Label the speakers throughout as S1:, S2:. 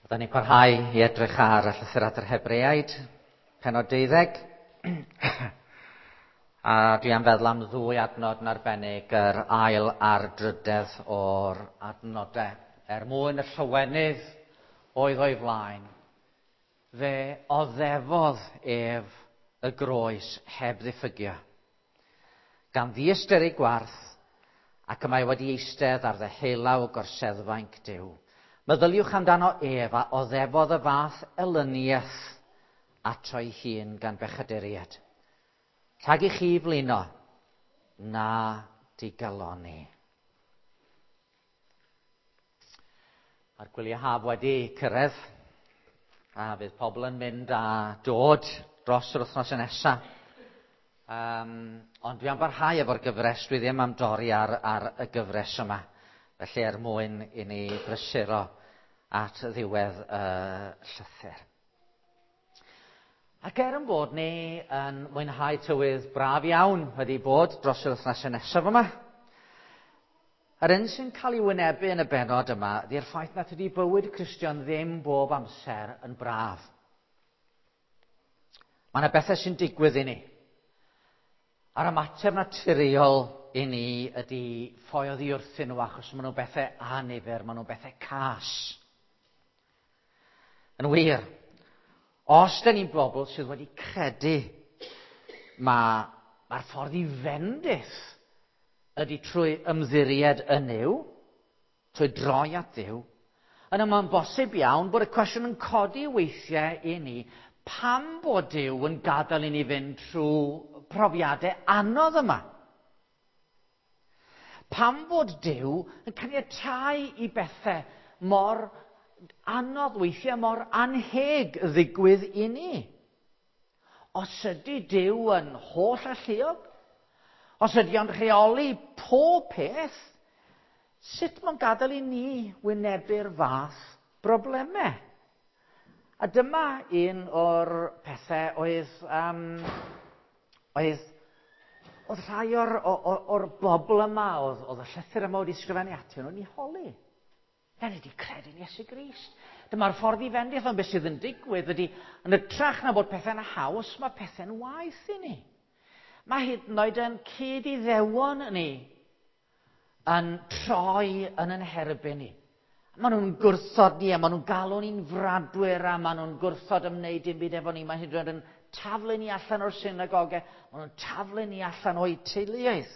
S1: Byddwn ni'n parhau i edrych ar y llythyr at yr Hebreaid, penod 12. A dwi am feddwl am ddwy adnod yn arbennig, yr ail a'r drydedd o'r adnodau. Er mwyn y llywenydd oedd o'i flaen, fe oddefodd ef y groes heb ddiffygio. Gan ddiystyru gwarth, ac y mae wedi eistedd ar ddeheulaw gorseddfainc Duw. Meddyliwch amdano ef a oddefodd y fath elyniaeth ato'i hun gan bechaduriaid. Rhag i chi flino, na digaloni. Mae'r gwyliau haf wedi cyrraedd, a fydd pobl yn mynd a dod dros yr wythnos nesaf. Ond dwi am barhau efo'r gyfres, dwi ddim am dorri ar, ar y gyfres yma. Felly er mwyn i ni brysuro at ddiwedd y llythyr. Ac er yn bod ni yn mwynhau tywydd braf iawn wedi bod dros yr wythnosau nesaf yma, yr un sy'n cael ei wynebu yn y benod yma ydy'r ffaith nad ydy bywyd Cristion ddim bob amser yn braf. Mae yna bethau sy'n digwydd i ni. A'r ymateb naturiol i ni ydy ffoi oddi wrthyn nhw achos maen nhw'n bethau annifyr, maen nhw'n bethau cas. Yn wir, os dyn ni'n bobl sydd wedi credu mae'r ma ffordd i fendith ydy trwy ymddiried yn Nuw, trwy droi at Dduw, yna mae'n bosib iawn bod y cwestiwn yn codi weithiau i ni pam bod Duw yn gadael i ni fynd trwy profiadau anodd yma. Pam bod Duw yn caniatáu i bethau mor anodd weithiau, mor anheg ddigwydd i ni? Os ydy Duw yn holl alluog, os ydy o'n rheoli pob peth, sut mae'n gadael i ni wynebu'r fath broblemau? A dyma un o'r pethau oedd, um, oedd, oedd rhai o'r, or, or bobl yma, oedd, oedd y llythyr yma wedi sgrifennu atyn nhw'n ei holi. Da ni wedi credu'n Iesu Grist. Dyma'r ffordd i fendith, ond beth sydd yn digwydd ydy, yn ytrach na bod pethau'n haws, mae pethau'n waeth i ni. Mae hyd yn oed yn cyd-iddewon ni yn troi yn yn herbyn ni. Maen nhw'n gwrthod ni, a maen nhw'n galw ni'n fradwyr, a maen nhw'n gwrthod ymwneud dim byd efo ni. Mae hyd yn oed yn taflu ni allan o'r synagogau, maen nhw'n taflu ni allan o'i teuluoedd.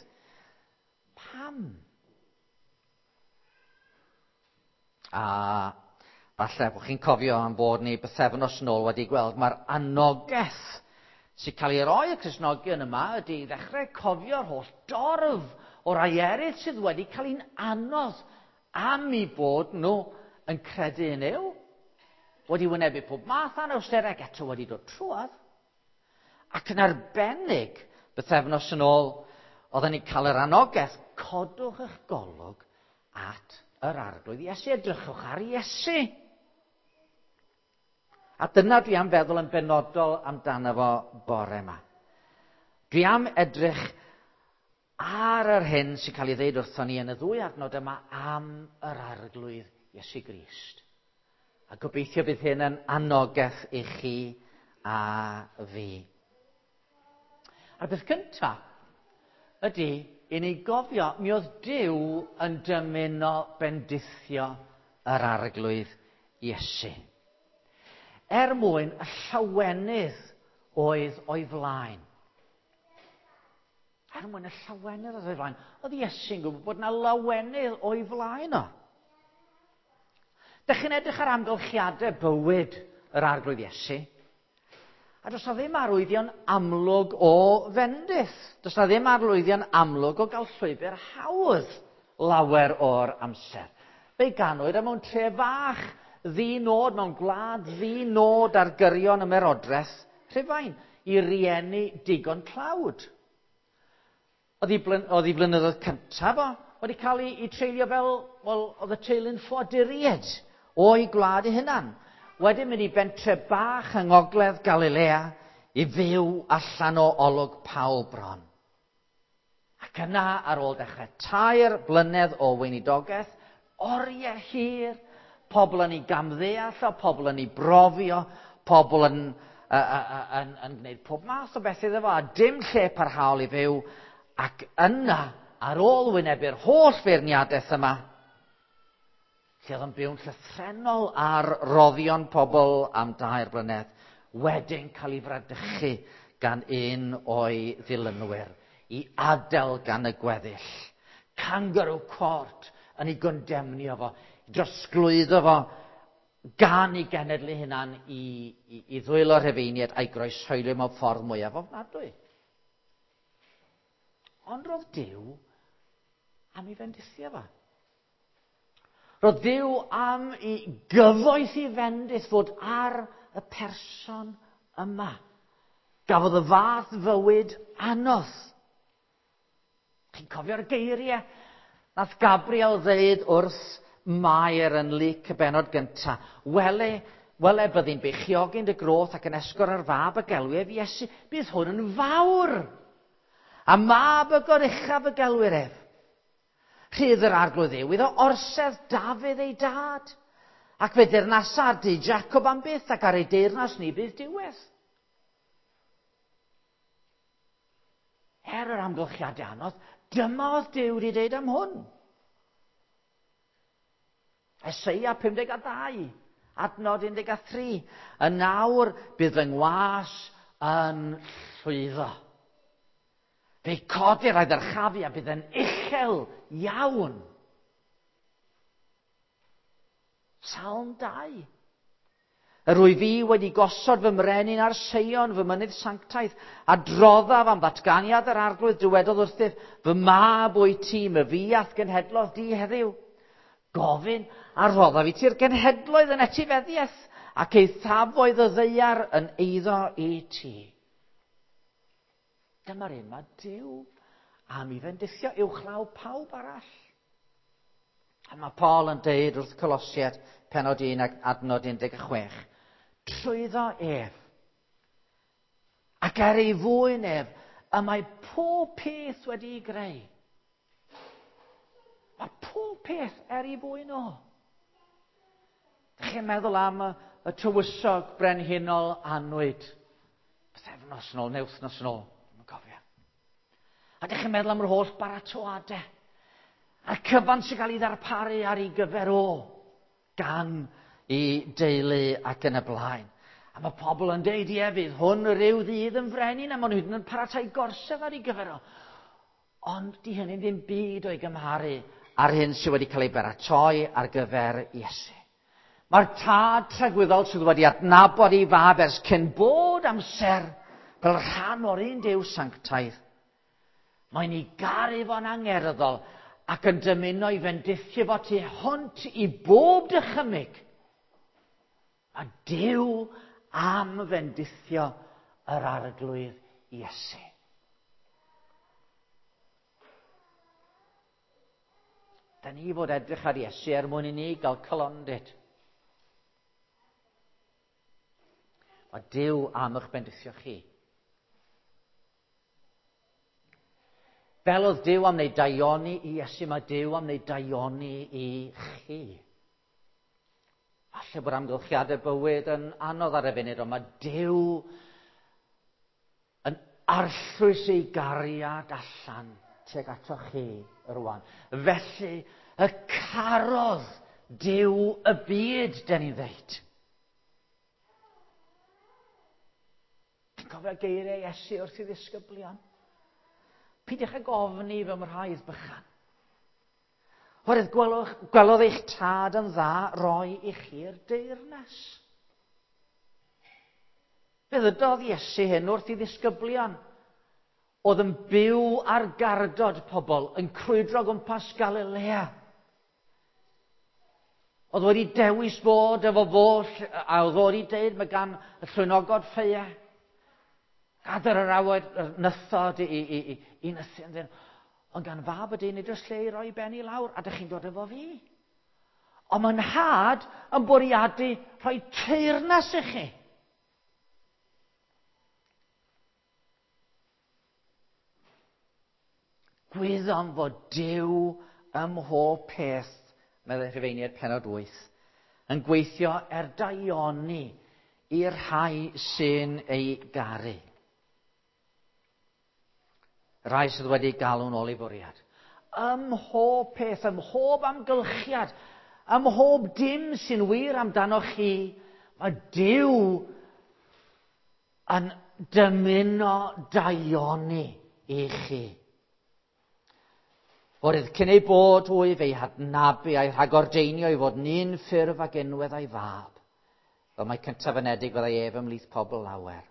S1: Pam? A falle bod chi'n cofio am bod ni bythefnos nôl wedi gweld mae'r anogaeth sy'n cael ei roi y Cristnogion yma ydy i ddechrau cofio'r holl dorf o rai eraill sydd wedi cael ein anodd am eu bod nhw yn credu yn Nuw, wedi wynebu pob math anawsterau ac eto wedi dod trwodd. Ac yn arbennig, bythefnos yn ôl, oedden ni'n cael yr anogaeth, codwch eich golwg at yr Arglwydd Iesu, edrychwch ar Iesu. A dyna dwi am feddwl yn benodol amdano fo bore yma. Dwi am edrych ar yr hyn sy'n cael ei ddeud wrthon ni yn y ddwy adnod yma am yr Arglwydd Iesu Grist. A gobeithio bydd hyn yn anogaeth i chi a fi. A'r beth cyntaf ydy i ni gofio, mi oedd Duw yn dymuno bendithio yr Arglwydd Iesu. Er mwyn y llawenydd oedd o'i flaen. Er mwyn y llawenydd oedd o'i flaen. Oedd Iesu'n gwybod bod yna lawenydd o'i flaen o. Dych chi'n edrych ar amgylchiadau bywyd yr Arglwydd Iesu, a does na ddim arwyddion amlwg o fendith. Does na ddim arwyddion amlwg o gael llwybr hawdd lawer o'r amser. Fe'i ganwyd mewn tre fach ddi-nod, mewn gwlad ddi-nod ar gyrion ymerodraeth Rhufain, i rieni digon tlawd. Oedd ei blynyddoedd cyntaf o wedi cael ei treulio fel, wel, oedd y teulu'n ffoaduriaid o'i gwlad ei hunan. Wedyn mynd i bentre bach yng ngogledd Galilea i fyw allan o olwg pawb bron. Ac yna, ar ôl dechrau 3 blynedd o weinidogaeth, oriau hir, Pobl yn ei gamddeall o, pobl yn ei brofio, pobl yn gwneud pob math o beth iddo fo, a dim lle parhaol i fyw. Ac yna, ar ôl wynebu'r holl feirniadaeth yma, lle oedd yn byw'n llythrennol ar roddion pobl am 3 blynedd, wedyn cael ei fradychu gan un o'i ddilynwyr, i adael gan y gweddill. Kangaroo court yn ei gondemnio fo, drosglwyddo fo gan ei genedl ei hunan i ddwylo Rhufeiniaid a'i groeshoelio mewn ffordd mwyaf ofnadwy. Ond roedd Duw am ei fendithio fo. Roedd Duw am i gyfoeth i fendith fod ar y person yma. Gafodd y fath fywyd anodd. Chi'n cofio'r geiriau? Nath Gabriel ddeud wrth Mair yn Luc y benod gyntaf, wele, wele byddi'n beichiogi'n dy groth ac yn esgor ar fab y gelwir ef Iesu, bydd hwn yn fawr. A mab y goruchaf y gelwir ef. Rhydd yr arglwydd Dduw iddo orsedd Dafydd ei dad, ac fe deyrnasa ar dŷ Jacob am byth, ac ar ei deyrnas ni bydd diwedd. Er yr amgylchiadau anodd, dyma oedd Duw wedi dweud am hwn. Eseia 52, adnod 13. Y nawr bydd fy ngwas yn llwyddo. Fe'i codir a'i ddyrchafu a bydd yn uchel iawn. Salm 2. Yr wyf fi wedi gosod fy mrenin ar Seion, fy mynydd sanctaidd, a droddaf am ddatganiad yr arglwydd dywedodd wrthyf, fy mab wyt ti, my fi a'th genhedlodd di heddiw. Gofyn a roddaf i ti'r genhedloedd yn etifeddiaeth, ac eithafoedd y ddaear yn eiddo i ti. Dyma'r un mae Duw am i fendithio uwchlaw pawb arall. A mae Paul yn deud wrth Colosiaid penod 1 ac adnod 16, trwyddo ef, ac er ei fwyn ef, y mae pob peth wedi'i greu. Mae pob peth er ei fwyn o. Dych chi'n meddwl am y tywysog brenhinol annwyd, pythefnos yn ôl, neu wythnos yn ôl, ddim yn cofio. A dych chi'n meddwl am yr holl baratoadau, a'r cyfan sy'n cael ei ddarparu ar ei gyfer o, gan i deulu ac yn y blaen. A mae pobl yn deud, ie, fydd hwn rhyw ddydd yn frenin, a maen nhw hyd yn oed yn paratoi gorsedd ar ei gyfer o. Ond di hynny ddim byd o'i gymharu ar hyn sydd wedi cael ei baratoi ar gyfer Iesu. Mae'r tad tragwyddol sydd wedi adnabod ei fab ers cyn bod amser fel rhan o'r un Duw sanctaidd. Mae'n ei garu fo'n angerddol ac yn dymuno i fendithio fo tu hwnt i bob dychymyg. A Duw am fendithio yr arglwydd Iesu. Da ni fod edrych ar Iesu er mwyn i ni gael calondid. Mae Duw am eich bendithio chi. Fel oedd Duw am wneud daioni i Iesu, mae Duw am wneud daioni i chi. Falle bod amgylchiadau bywyd yn anodd ar y funud, ond mae Duw yn arllwys ei gariad allan tuag ato chi rwan. Felly, y carodd Duw y byd, den ni'n ddeud. Ti'n cofio geiriau Iesu wrth i ddisgyblion? Peidiwch ag ofni fy mraidd bychan. Oherwydd gwelodd eich tad yn dda roi i chi'r deyrnas. Fe ddydodd Iesu hyn wrth i ddisgyblion oedd yn byw ar gardod pobl, yn crwydro gwmpas Galilea. Oedd wedi dewis bod efo fo, a oedd wedi deud mae gan y llwynogod ffeia. Gadair yr awyd, yr nythod i nythu ynddyn. Ond gan fab y dyn nid oes lle i roi ben i lawr, a dych chi'n dod efo fi. Ond mae'n nhad yn bwriadu rhoi teyrnas i chi. Gwyddom fod Duw ym mhob peth, meddai Rhufeiniaid penod 8. yn gweithio er daioni i'r rhai sy'n ei garu. Rhai sydd wedi galw'n ôl ei fwriad. Ym mhob peth, ym mhob amgylchiad, ym mhob dim sy'n wir amdanoch chi, mae Duw yn dymuno daioni i chi. Oherwydd cyn ei bod hwy fe'i hadnabu a'i rhagordeinio i fod yn un ffurf ag unwedd a'i fab, fel mai cyntaf anedig fyddai ef ymhlith pobl lawer.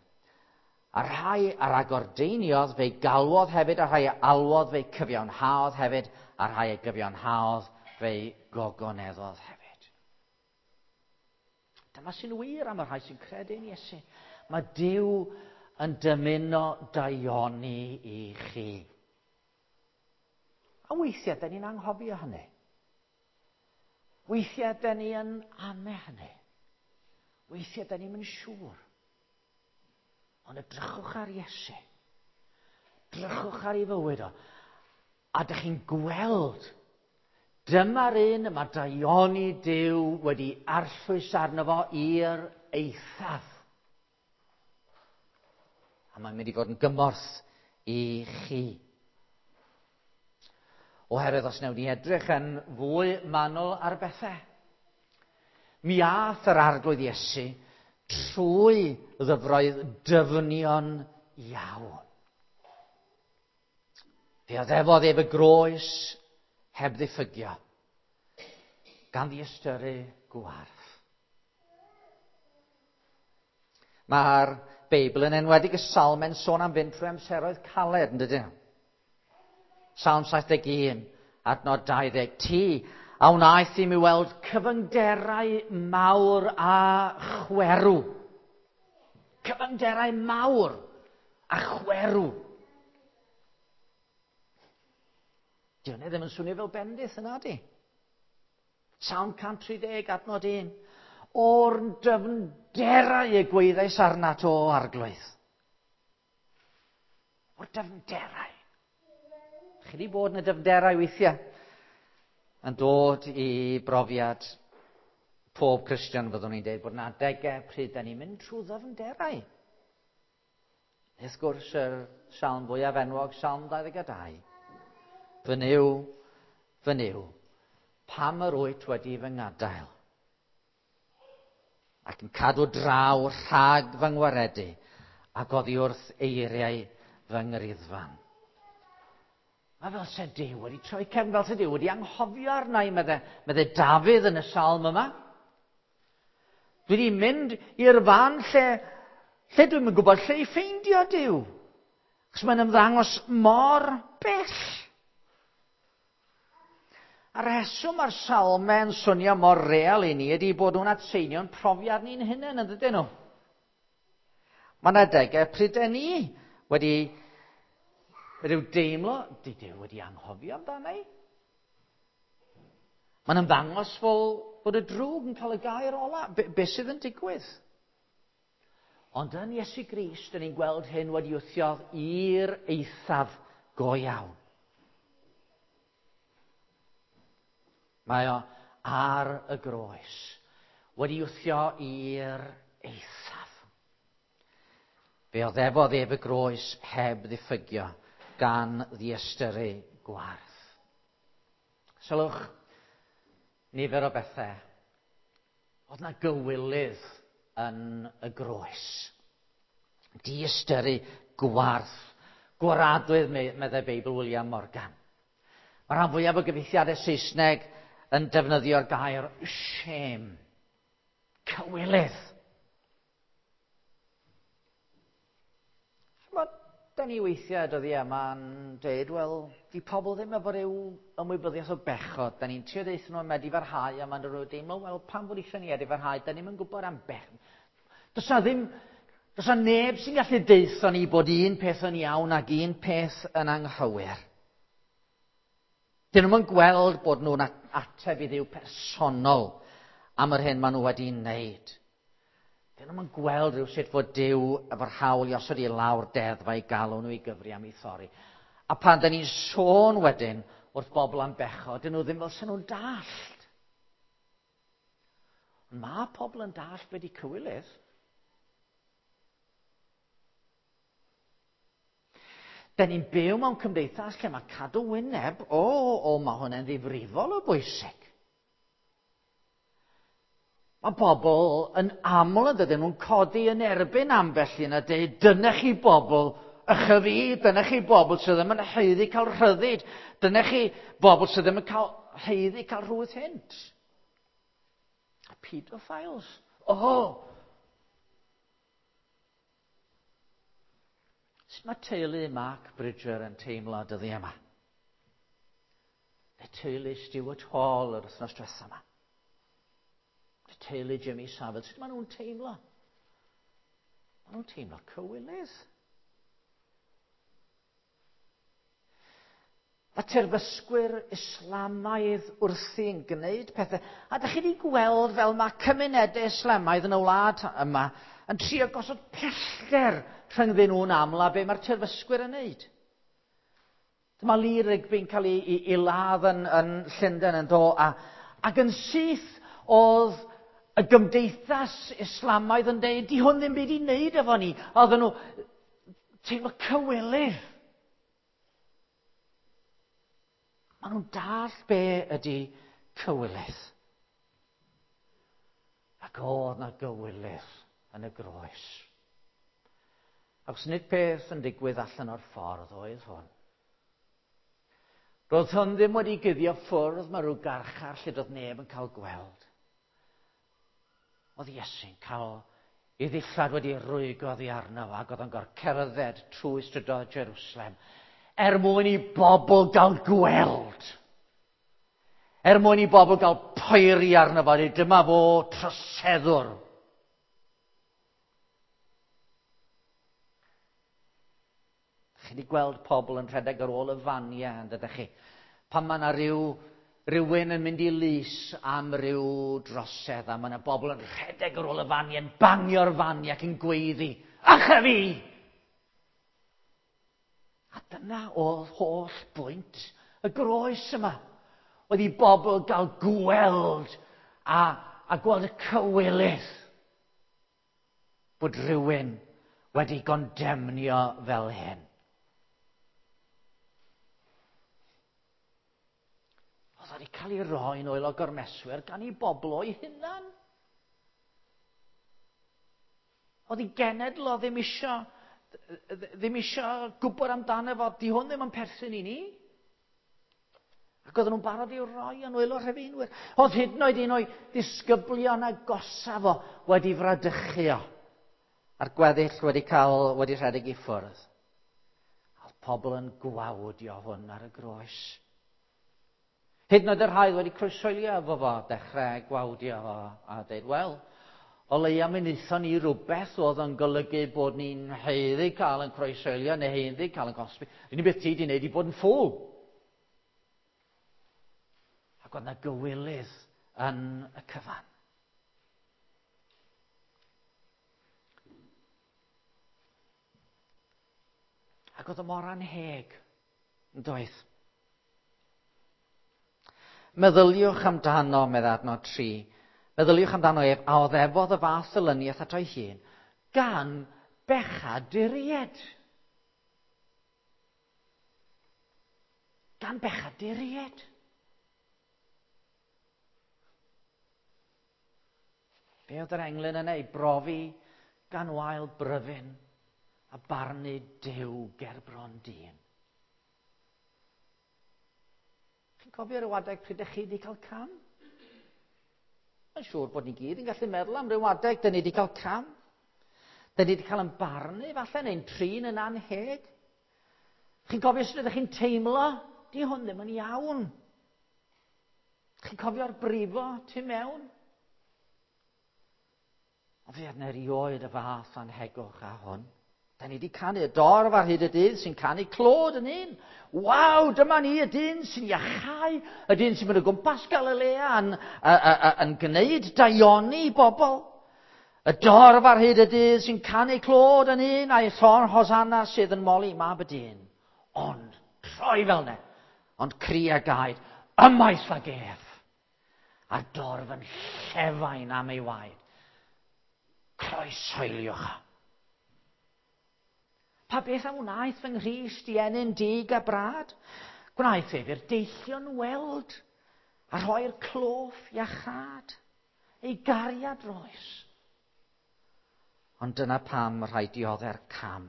S1: A rhai a ragordeiniodd fe'i galwodd hefyd, a rhai a alwodd fe'i cyfiawnhaodd hefyd, a rhai a gyfiawnhaodd fe'i gogoneddodd hefyd. Dyma sy'n wir am y rhai sy'n credu yn Iesu. Mae Duw yn dymuno daioni i chi. A weithiau, da ni'n anghofio hynny. Weithiau, da ni yn ame hynny. Weithiau, da ni'n mynd siŵr. Ond edrychwch ar Iesu. Drychwch ar ei fywyd o. A dych chi'n gweld, dyma'r un y mae daioni Duw wedi arllwys arno fo i'r eithaf. A mae'n mynd i fod yn gymorth i chi. Oherwydd os wnewn ni edrych yn fwy manwl ar bethau, mi ath yr Arglwydd Iesu trwy ddyfroedd dyfnion iawn. Fe oddefodd ef y groes heb ddiffygio, gan ddiystyru gwarth. Mae'r Beibl yn enwedig y Salm yn sôn am fynd trwy amseroedd caled, yn dydyn? Salm 71, adnod 20. Ti a wnaeth i mi weld cyfyngderau mawr a chwerw. Cyfyngderau mawr a chwerw. Di hwnna ddim yn swnio fel bendith yna, di? Salm 130, adnod 1. O'r dyfnderau y gweithiais arnat o Arglwydd. O'r dyfnderau. Chi wedi bod yn y dyfnderau weithiau yn dod i brofiad pob Cristion, fyddwn ni'n dweud, bod yna adegau pryd da ni'n mynd trwy ddyfnderau. Wrth gwrs, yr salm fwyaf enwog, Salm 22. Fy Nuw, fy Nuw, pam yr wyt wedi fy ngadael? Ac yn cadw draw rhag fy ngwaredu ac oddi wrth eiriau fy ngriddfan. Mae fel se Duw wedi troi cefn, fel se Duw wedi anghofio arna i, medde, medde Dafydd yn y salm yma. Dwi wedi mynd i'r fan lle, lle dwi'n yn gwybod lle i ffeindio Duw. Chos mae'n ymddangos mor bell. A'r rheswm mae'r salmau'n swnio mor real i ni ydy bod nhw'n atseinio'n profiad ni'n hunain, yn dydyn nhw? Mae yna adegau pryd ni wedi rhyw deimlo, di Duw wedi anghofio amdana i. Mae'n ymddangos fel bod y drwg yn cael y gair ola. Be, be sydd yn digwydd? Ond yn Iesu Grist, dyn ni'n gweld hyn wedi wthio i'r eithaf go iawn. Mae o ar y groes, wedi wthio i'r eithaf. Fe oddefodd ef y groes heb ddiffygio, gan ddiystyru gwarth. Sylwch, nifer o bethau. Oedd na gywilydd yn y groes. Diystyru gwarth. Gwaradwydd, meddai Beibl William Morgan. Mae rhan fwyaf o gyfieithiadau Saesneg yn defnyddio'r gair shame. Cywilydd. Ch'mod, da ni weithiau dyddiau yma'n dweud, wel, di pobl ddim efo rhyw ymwybyddiaeth o bechod. Da ni'n trio deutha nhw am edifarhau, a ma'n rhyw deimlo, wel, pam fod eisiau ni edifarhau? Da ni'm yn gwybod am bechod. Does na ddim, does na neb sy'n gallu deutha ni bod un peth yn iawn ac un peth yn anghywir. Dyn nhw'n gweld bod nhw'n ateb i Dduw personol am yr hyn maen nhw wedi wneud. Dyn nhw'n gweld rhyw sut fod Duw efo'r hawl i osod i lawr deddfau i galw nhw i gyfri am ei thorri. A pan dyn ni'n sôn wedyn wrth bobl am bechod, dyn nhw ddim fel sy'n nhw'n dallt. Mae pobl yn dallt be di cywilydd. Da ni'n byw mewn cymdeithas lle mae cadw wyneb, o, o, mae hwnna'n ddifrifol o bwysig. Mae bobl yn aml yn dydyn nhw'n codi yn erbyn ambell un a dweud, dyna chi bobl ychyfi, dyna chi bobl sydd ddim yn haeddu cael rhyddid, dyna chi bobl sydd ddim yn cael haeddu cael rhwydd hynt. A pedophiles. Oh! Sut mae teulu Mark Bridger yn teimlo dyddi yma? Neu teulu Stuart Hall yr wythnos diwethaf yma? Neu teulu Jimmy Savile? Sut maen nhw'n teimlo? Maen nhw'n teimlo cywilydd. Mae terfysgwyr Islamaidd wrthi'n gwneud pethau. A ydych chi wedi gweld fel mae cymunedau Islamaidd yn y wlad yma yn trio gosod pellter rhyngddyn nhw'n aml a be mae'r terfysgwyr yn wneud. Dyma Lee Rigby'n cael ei, ei, ei ladd yn, yn Llundain yn do, a, ac yn syth oedd y gymdeithas Islamaidd yn dweud, di hwn ddim byd i wneud efo ni. A oedden nhw teimlo cywilydd. Maen nhw'n dall be ydy cywilydd. Ac oedd na gywilydd yn y groes. Ac nid peth yn digwydd allan o'r ffordd oedd hwn. Roedd hwn ddim wedi guddio ffwrdd mae rhyw garchar lle doedd neb yn cael gweld. Oedd Iesu'n cael ei ddillad wedi rwygo oddi arno ac oedd o'n gorfod cerdded trwy strydoedd Jerusalem er mwyn i bobl gael gweld. Er mwyn i bobl gael poeri arno fo, dyma fo troseddwr. Chi wedi gweld pobl yn rhedeg ar ôl y faniau, yn dydych chi? Pan mae yna rhyw, rhywun yn mynd i lys am ryw drosedd, a mae yna bobl yn rhedeg ar ôl y faniau, yn bangio'r faniau ac yn gweiddi, Acha fi! A dyna oedd holl bwynt y groes yma. Oedd i bobl gael gweld a, a gweld y cywilydd bod rhywun wedi gondemnio fel hyn. Oedd wedi cael ei roi'n oel o gormeswyr gan ei bobl o'i hunan. Oedd ei genedl o ddim isio, ddim isio gwybod amdano fo, di hwn ddim yn perthyn i ni. Ac oedden nhw'n barod i'w roi yn wylo rhufeinwyr. Oedd hyd yn oed un o'i ddisgyblion agosaf o wedi fradychu o. A'r gweddill wedi cael, wedi rhedeg i ffwrdd. Oedd pobl yn gwawdio hwn ar y groes. Hyd yn oed y rhai wedi croeshoelio efo fo, dechrau gwawdio fo a dweud, wel, o leia mi wnaethon ni rhywbeth oedd yn golygu bod ni'n haeddu cael yn croeshoelio neu haeddu cael yn cosbi. Unig beth ti wedi wneud i bod yn ffŵl. Ac oedd yna gywilydd yn y cyfan. Ac oedd o mor anheg, yn doedd? Meddyliwch amdano, medd adnod 3. Meddyliwch amdano ef a oddefodd y fath elyniaeth ato'i hun, gan bechaduried. Gan bechaduried. Be oedd yr englyn yna ei brofi gan wael bryfyn a barnu Duw ger bron dyn. Chi'n cofio rhyw adeg pryd ydych chi wedi cael cam? Mae'n siŵr bod ni gyd yn gallu meddwl am ryw adeg dyn ni wedi cael cam. Dyn ni wedi cael yn barnu falle neu'n trin yn anheg. Chi'n cofio sut ydych chi'n teimlo? Di hwn ddim yn iawn. Chi'n cofio'r brifo tu mewn? Ond fe yna erioed y fath anhegwch a hwn. Da ni wedi canu y dorf ar hyd y dydd sy'n canu clod yn un. Waw, dyma ni y dyn sy'n iachau, y dyn sy'n mynd o gwmpas Galilea yn, a, a, a, yn gwneud daioni i bobl. Y dorf ar hyd y dydd sy'n canu clod yn un a'i llon Hosanna sydd yn moli mab y dyn. Ond, troi fel ne, ond cri a gaed, ymaith ag ef. A'r dorf yn llefain am ei waed. Croeshoeliwch o. Pa beth a wnaeth fy Nghrist i ennyn dig a brad? Gwnaeth ef i'r deillion weld a rhoi'r cloff iachâd, ei gariad roes. Ond dyna pam rhaid diodde'r cam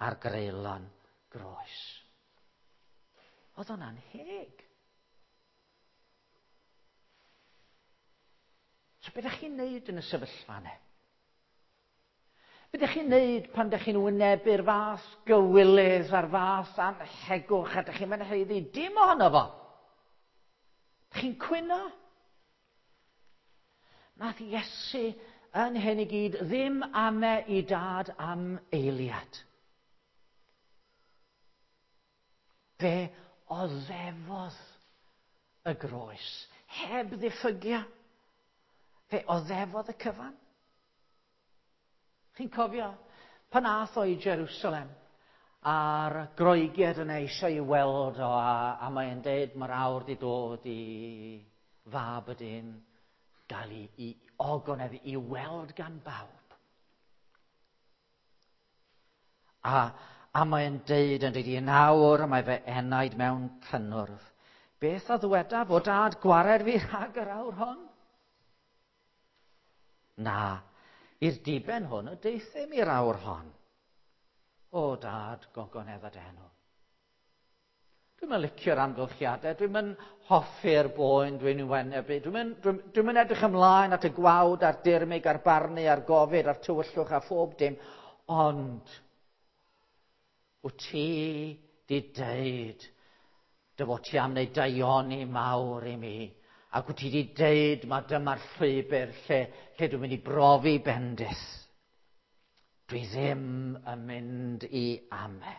S1: ar greulon groes. Oedd o'n anheg. So beth ydych chi'n neud yn y sefyllfa yna? Be ydych chi'n neud pan ydych chi'n wynebu'r fath gywilydd a'r fath anhegwch a ydych chi'n mynd haeddu dim ohono fo? Ydych chi'n cwyno? Nath Iesu yn hyn i gyd ddim ame i dad am eiliad. Fe oddefodd y groes, heb ddiffygia. Fe oddefodd y cyfan. Chi'n cofio pan ath o i Jerusalem a'r Groegiaid yna eisiau i weld o a mae'n deud mae'r awr di dod i fab y dyn gael i ogoneddu, i weld gan bawb. A mae'n deud yn deud i nawr mae fy enaid mewn cynnwrf. Beth a ddywedaf o dad gwared fi rhag yr awr hon? Na, i'r diben hwn y deuthum i'r awr hon. O dad, gogonedd a dy enw. Dwi'm yn licio'r amgylchiadau, dwi'm yn hoffi'r boen dwi'n ei wynebu, dwi'm yn edrych ymlaen at y gwawd a'r dirmyg a'r barnu a'r gofid a'r tywyllwch a phob dim, ond wyt ti di deud dy fod ti am wneud daioni mawr i mi, ac wyt ti di deud ma dyma'r llwybr lle dwi'n mynd i brofi bendith. Dwi ddim yn mynd i ame.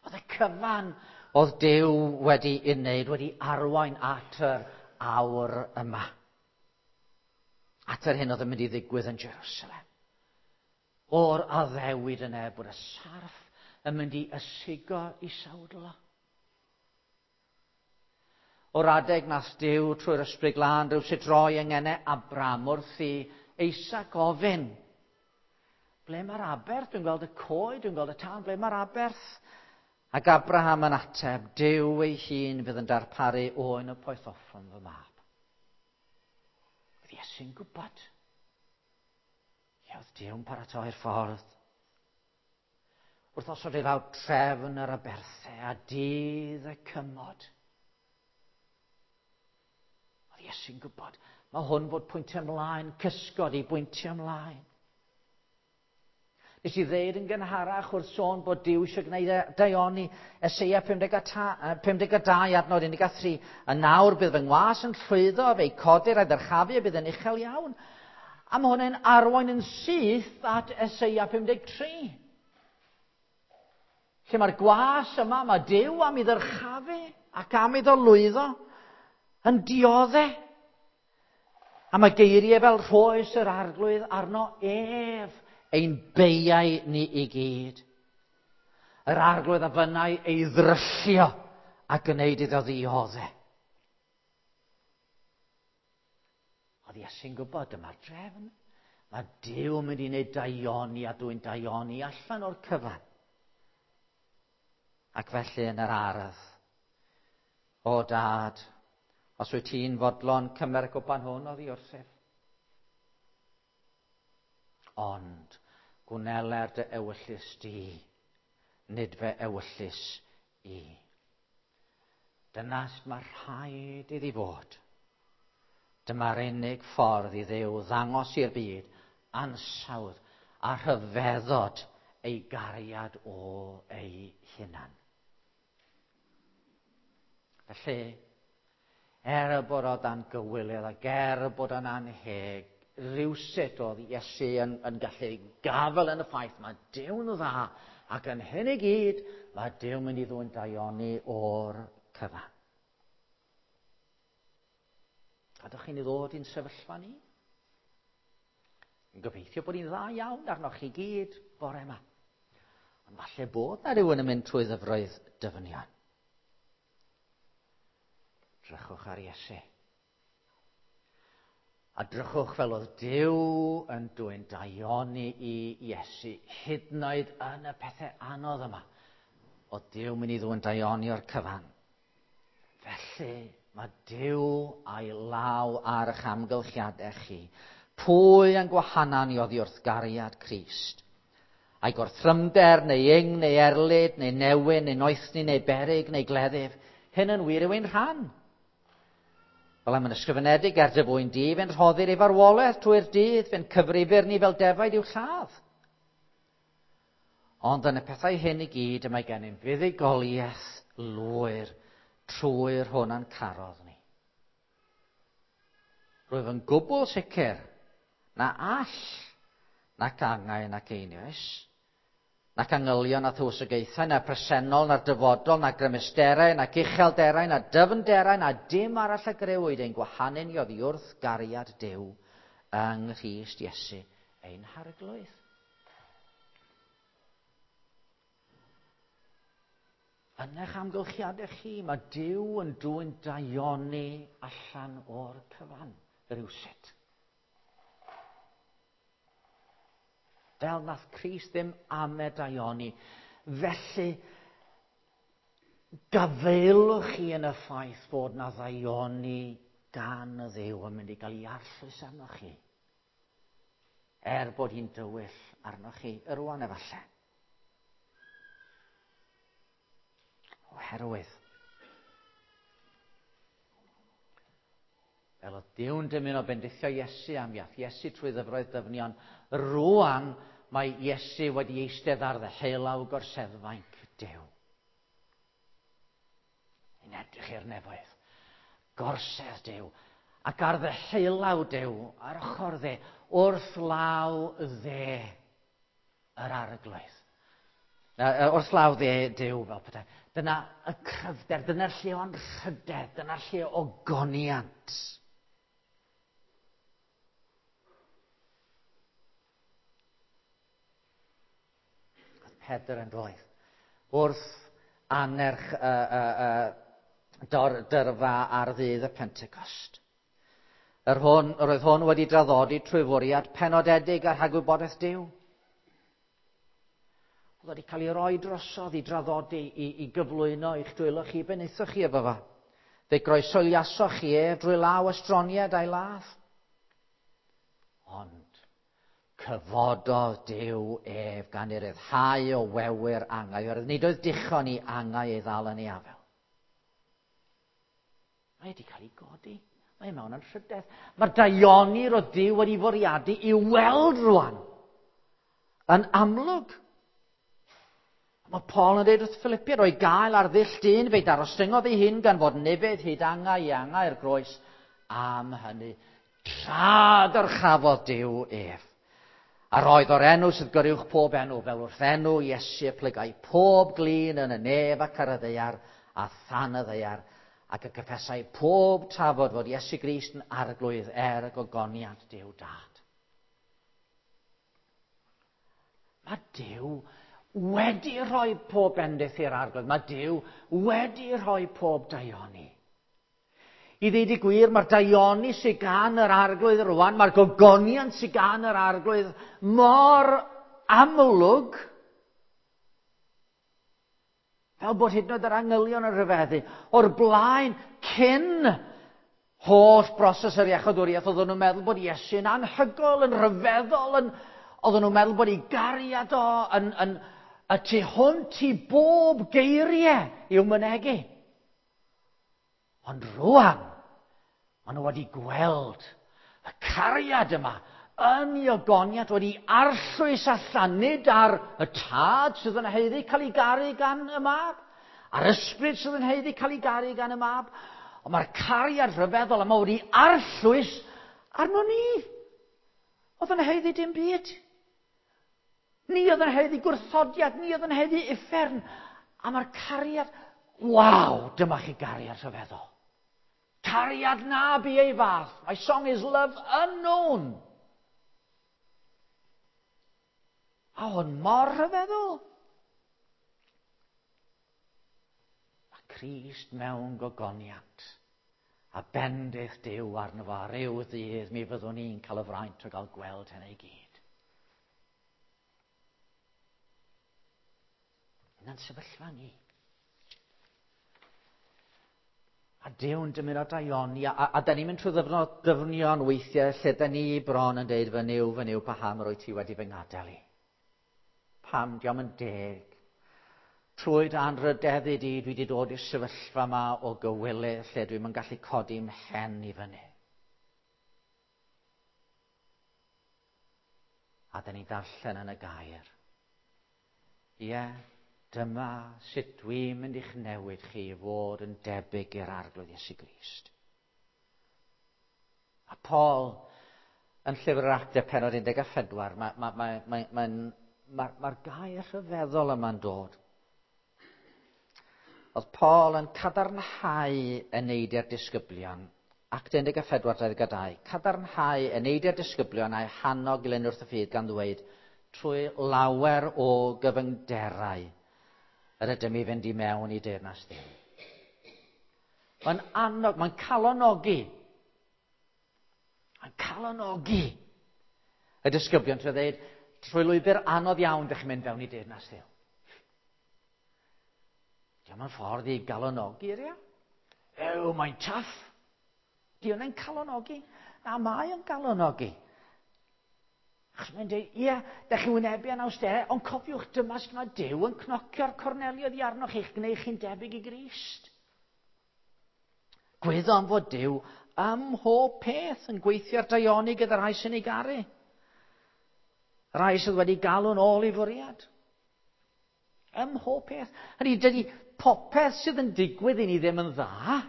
S1: Oedd y cyfan oedd Duw wedi ei wneud, wedi arwain at yr awr yma. At yr hyn oedd yn mynd i ddigwydd yn Jerusalem. O'r addewid yna bod y sarff yn mynd i ysigo i sawdl o. O'r adeg nath Duw trwy'r Ysbryd Glân rywsut roi yng ngenau Abraham wrth i Isaac ofyn, ble mae'r aberth? Dwi'n gweld y coed, dwi'n gweld y tân, ble mae'r aberth? Ac Abraham yn ateb, Duw ei hun fydd yn darparu oen y poethoffrwm fy mab. Oedd Iesu'n gwybod. Ie, oedd Duw'n paratoi'r ffordd. Wrth osod ei lawr trefn yr aberthau a dydd y cymod. Oedd Iesu'n gwybod. Mae hwn fod pwyntio ymlaen, cysgod i bwyntio ymlaen. Nes i ddeud yn gynharach wrth sôn bod Duw eisiau gwneud daioni, Eseia 52 adnod 13. A nawr bydd fy ngwas yn llwyddo, fe'i codir a'i ddyrchafu a bydd yn uchel iawn. A mae hwn yn arwain yn syth at Eseia 53. Lle mae'r gwas yma, mae Duw am ei ddyrchafu ac am iddo lwyddo, yn diodde. A mae geiriau fel rhoes yr arglwydd arno ef, ein beiau ni i gyd. Yr arglwydd a fynnai ei ddryllio a gwneud iddo ddiodde. Oedd Iesu'n gwybod dyma'r drefn. Mae Duw yn mynd i wneud daioni a dwy'n daioni allan o'r cyfan. Ac felly yn yr ardd, o dad, os wyt ti'n fodlon cymer y gwpan hwn oddi wrthyf. Ond gwneler dy ewyllys di, nid fe ewyllys i. Dyna sut mae rhaid iddi fod. Dyma'r unig ffordd i Dduw ddangos i'r byd ansawdd a rhyfeddod ei gariad o ei hunan. Felly, er y bod o dan gywilydd ac er y bod o'n anheg, rywsut oedd Iesu yn gallu gafael yn y ffaith mae Duw'n dda, ac yn hyn i gyd mae Duw'n mynd i ddwyn daioni o'r cyfan. Gadwch chi ni ddod i'n sefyllfa ni? Yn gobeithio bod ni'n dda iawn arnoch chi gyd bore yma. Ond falle bod na rhywun yn mynd trwy ddyfroedd dyfnion. Drychwch ar Iesu. A drychwch fel oedd Duw yn dwyn daioni i Iesu, hyd yn oed yn y pethau anodd yma. Oedd Duw mynd i ddwyn daioni o'r cyfan. Felly, mae Duw a'i law ar eich amgylchiadau chi. Pwy yn gwahanan i oddi wrth gariad Crist? A'i gorthrymder, neu ing, neu erlid, neu newyn, neu noethni, neu berig, neu gleddyf. Hyn yn wir yw ein rhan. Fel am yn ysgrifenedig, er dy fwyn di, fe'n rhoddir ei farwolaeth trwy'r dydd, fe'n cyfrifir ni fel defaid i'w lladd. Ond yn y pethau hyn i gyd y mae gennym fuddugoliaeth lwyr trwy'r hwn a'n carodd ni. Rwyf yn gwbl sicr na all nac angau nac einioes, nac angylion na thywysogaethau, na presennol, na'r dyfodol, na grymusterau, nac uchelderau, na dyfnderau, na dim arall a grëwyd ein gwahanu ni oddi wrth gariad Duw yng Nghrist Iesu ein Harglwydd. Yn eich amgylchiadau chi, mae Duw yn dwyn daioni allan o'r cyfan, rhywsut. Fel nath Crist ddim ame daioni. Felly, gafaelwch chi yn y ffaith bod na ddaioni gan y Dduw yn mynd i gael ei arllwys arnoch chi. Er bod hi'n dywyll arnoch chi yrwan efallai. Oherwydd, fel oedd Duw'n dymuno bendithio Iesu am iaith Iesu trwy ddyfroedd dyfnion, rwan mae Iesu wedi eistedd ar ddeheulaw gorseddfainc Duw. Yn edrych i'r nefoedd. Gorsedd Duw. Ac ar ddeheulaw Duw, ar ochr dde, wrth law dde yr Arglwydd. Wrth law dde Duw, fel petai. Dyna y cryfder, dyna'r lle o anrhydedd, dyna'r lle o goniant. Oedd Pedr yn doedd. Wrth anerch y, y, y, dor, dyrfa ar ddydd y Pentecost. Yr hwn, yr oedd hwn wedi draddodi trwy fwriad penodedig a rhagwybodaeth Duw. Oedd wedi cael ei roi drosodd i draddodi, i, i gyflwyno i'ch dwylo chi, be wnaethoch chi efo fo? Fe groeshoeliasoch chi ef drwy law estroniad a'i ladd. Ond cyfododd Duw ef gan ei ryddhau o wewyr angau, oherwydd nid oedd dichon i angau ei ddal yn ei afael. Mae wedi cael ei godi. Mae mewn anrhydedd. Mae'r daioni roedd Duw wedi fwriadu i weld rwan yn amlwg. Mae Paul yn dweud wrth Philippiaid, o'i gael ar ddull dyn, fe'i darostyngodd ei hun gan fod ufudd hyd angau i angau i'r groes. Am hynny, tra dyrchafodd Duw ef. A roedd o'r enw sydd goruwch pob enw, fel wrth enw Iesu y plygai pob glin yn y nef ac ar y ddaear a than y ddaear, ac y cyffesai pob tafod fod Iesu Grist yn arglwydd er y gogoniant Duw Dad. Mae Duw wedi rhoi pob bendith i'r arglwydd. Mae Duw wedi rhoi pob daioni. I ddeud y gwir, mae'r daioni sydd gan yr arglwydd rwan, mae'r gogoniant sydd gan yr arglwydd mor amlwg, fel bod hyd yn oed yr angylion yn rhyfeddu. O'r blaen, cyn holl broses yr iachawdwriaeth, oedden nhw'n meddwl bod Iesu'n anhygoel, yn rhyfeddol, yn, oedden nhw'n meddwl bod ei gariad o yn, yn, y tu hwnt i bob geiriau i'w mynegi. Ond rwan, maen nhw wedi gweld y cariad yma yn ei ogoniant wedi arllwys allan, nid ar y tad sydd yn haeddu cael ei garu gan y mab, a'r ysbryd sydd yn haeddu cael ei garu gan y mab, ond mae'r cariad rhyfeddol yma wedi arllwys arno ni. Oedd yn haeddu dim byd. Ni oedd yn haeddu gwrthodiad, ni oedd yn haeddu uffern. A mae'r cariad, waw, dyma chi gariad rhyfeddol. Cariad na bu ei fath. My song is love unknown. A hwn mor rhyfeddol. Mae Crist mewn gogoniant. A bendith Duw arno fo, a ryw ddydd mi fyddwn ni'n cael y fraint o gael gweld hynny i gyd. Yna'n sefyllfa ni. A Duw'n dymuno daioni, a da ni'n mynd trwy ddyfnod dyfnion weithiau lle da ni bron yn deud, fy Nuw, fy Nuw, paham yr wyt ti wedi fy ngadael i? Pam, diolch yn deg. Trwy dy anrhydeddu di, dwi wedi dod i'r sefyllfa yma o gywilydd lle dwi'm yn gallu codi mhen i fyny. A da ni'n darllen yn y gair. Ie, dyma sut dwi'n mynd i'ch newid chi i fod yn debyg i'r Arglwydd Iesu Grist. A Paul, yn llyfr yr Actau pennod 14, mae'r ma, ma, ma, ma, ma, ma gair rhyfeddol yma'n dod. Oedd Paul yn cadarnhau eneidiau'r disgyblion, Act 14, 22, cadarnhau eneidiau'r disgyblion a'i hannog i wrth y ffydd gan ddweud, trwy lawer o gyfyngderau yr ydym i fynd i mewn i deyrnas Dduw. Mae'n annog, mae'n calonogi. Mae'n calonogi y disgyblion trwy ddweud, trwy lwybr anodd iawn dych chi'n mynd fewn i deyrnas Dduw. Diolch yn ffordd i galonogi, ia? Ew, mae'n tough. Di hwnna'n calonogi? Na, mae o'n galonogi. Achos mae'n dweud, ie, da chi wynebu anawsterau, ond cofiwch dyma sut mae Duw yn cnocio'r corneli oddi arnoch chi'ch gwneud chi'n debyg i Grist. Gwyddom fod Duw ym mhob peth yn gweithio'r daioni gyda'r rhai sy'n ei garu. Rhai sydd wedi galw'n ôl i fwriad. Ym mhob peth. Hynny, dydy popeth sydd yn digwydd i ni ddim yn dda.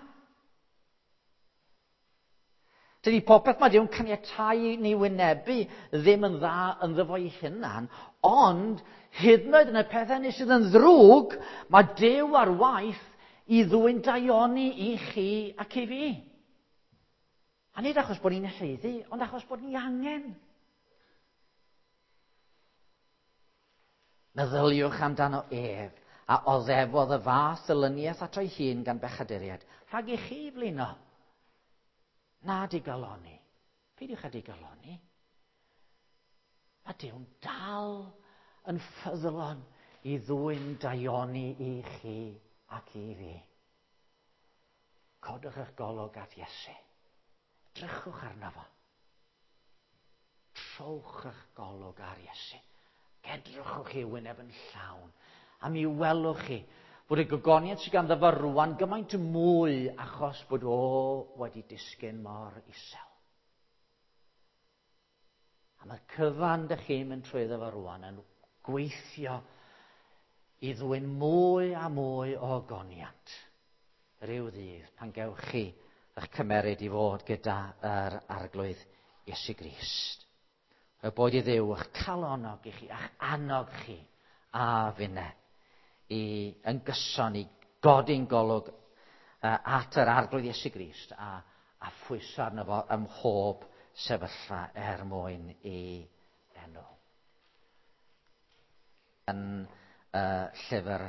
S1: Dydy popeth mae Duw'n caniatáu i ni wynebu ddim yn dda ynddo fo'i hunan, ond hyd yn oed yn y pethau hynny sydd yn ddrwg, mae Duw ar waith i ddwyn daioni i chi ac i fi. A nid achos bod ni'n haeddu, ond achos bod ni angen. Meddyliwch amdano ef, a oddefodd y fath elyniaeth ato'i hun gan bechaduriaid, rhag i chi flino. Na digaloni. Peidiwch â digaloni. Mae Duw'n dal yn ffyddlon i ddwyn daioni i chi ac i fi. Codwch eich golwg at Iesu. Drychwch arno fo. Trowch eich golwg ar Iesu. Edrychwch i wyneb yn llawn. A mi welwch chi bod y gogoniant sydd ganddo fo rwan gymaint mwy achos bod o wedi disgyn mor isel. A mae'r cyfan dych chi'n mynd trwyddo fo rwan yn gweithio i ddwyn mwy a mwy o ogoniant rhyw ddydd pan gewch chi eich cymeryd i fod gyda yr Arglwydd Iesu Grist. Y boed i Dduw eich calonog i chi, a'ch annog chi a finne i yn gyson i godi'n golwg at yr Arglwydd Iesu Grist a phwyso arno fo ym mhob sefyllfa er mwyn i enw. Yn llyfr